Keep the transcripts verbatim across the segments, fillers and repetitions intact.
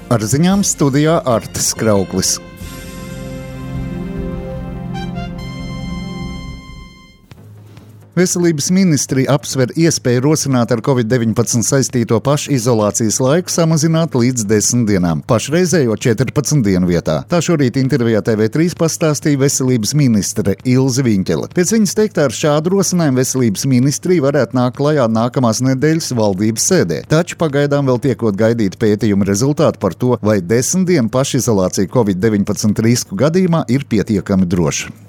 Ar ziņām studijā Artis Krauklis. Veselības ministrija apsver iespēju rosināt ar covid deviņpadsmit saistīto pašizolācijas laiku samazināt līdz desmit dienām, pašreizējo četrpadsmit dienu vietā. Tā šorīt intervijā T V trīs pastāstīja veselības ministre Ilze Viņķele. Pēc viņas teiktā ar šādu rosinājumu veselības ministrija varētu nākt klajā nākamās nedēļas valdības sēdē. Taču pagaidām vēl tiekot gaidīt pētījumu rezultātu par to, vai desmit dienu pašizolācija covid deviņpadsmit risku gadījumā ir pietiekami droša.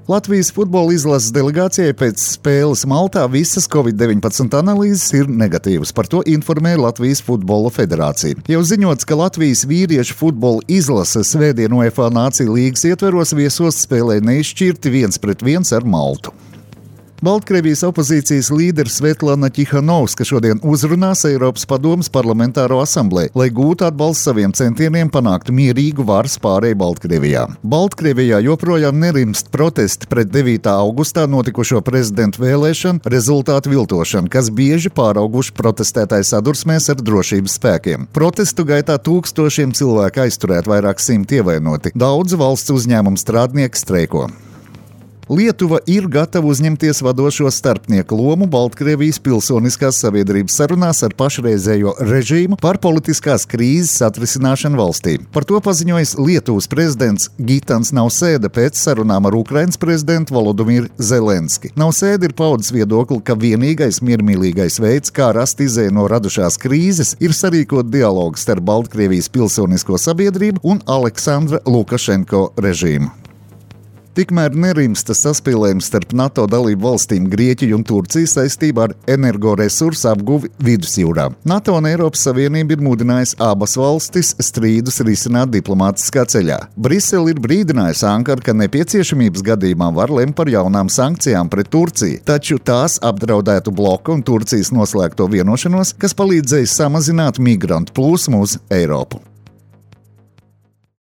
Latvijas futbola izlases delegācijai pēc spēles Maltā visas covid deviņpadsmit analīzes ir negatīvas. Par to informēja Latvijas futbola federācija. Jau ziņots, ka Latvijas vīriešu futbola izlase svētdien UEFA Nāciju līgas ietveros viesos spēlē neizšķirti viens pret viens ar Maltu. Baltkrievijas opozīcijas līdere Svetlana Ķihanovska šodien uzrunās Eiropas padomes parlamentāro asamblēju, lai gūtu atbalstu saviem centieniem panākt mierīgu varas pārēju Baltkrievijā. Baltkrievijā joprojām nerimst protesti pret devītā augustā notikušo prezidentu vēlēšanu rezultātu viltošanu, kas bieži pārauguši protestētāju sadursmēs ar drošības spēkiem. Protestu gaitā tūkstošiem cilvēku aizturēt, vairāk simti ievainoti. Daudz valsts uzņēmumu strādnieki streiko. Lietuva ir gatava uzņemties vadošo starpnieku lomu Baltkrievijas pilsoniskās sabiedrības sarunās ar pašreizējo režīmu par politiskās krīzes atrisināšanu valstī. Par to paziņojis Lietuvas prezidents Gitans Nausēda pēc sarunām ar Ukrainas prezidentu Volodimiru Zelenski. Nausēda ir paudis viedokli, ka vienīgais miermīlīgais veids, kā rast izēju no radušās krīzes, ir sarīkot dialogu starp Baltkrievijas pilsonisko sabiedrību un Aleksandra Lukašenko režīmu. Tikmēr nerimsta saspīlējums starp NATO dalību valstīm Grieķiju un Turciju saistībā ar energoresursu apguvi Vidusjūrā. NATO un Eiropas Savienība ir mudinājusi abas valstis strīdus risināt diplomātiskā ceļā. Brisele ir brīdinājusi Ankaru, ka nepieciešamības gadījumā var lemt par jaunām sankcijām pret Turciju, taču tās apdraudētu bloku un Turcijas noslēgto vienošanos, kas palīdzēja samazināt migrantu plūsmu uz Eiropu.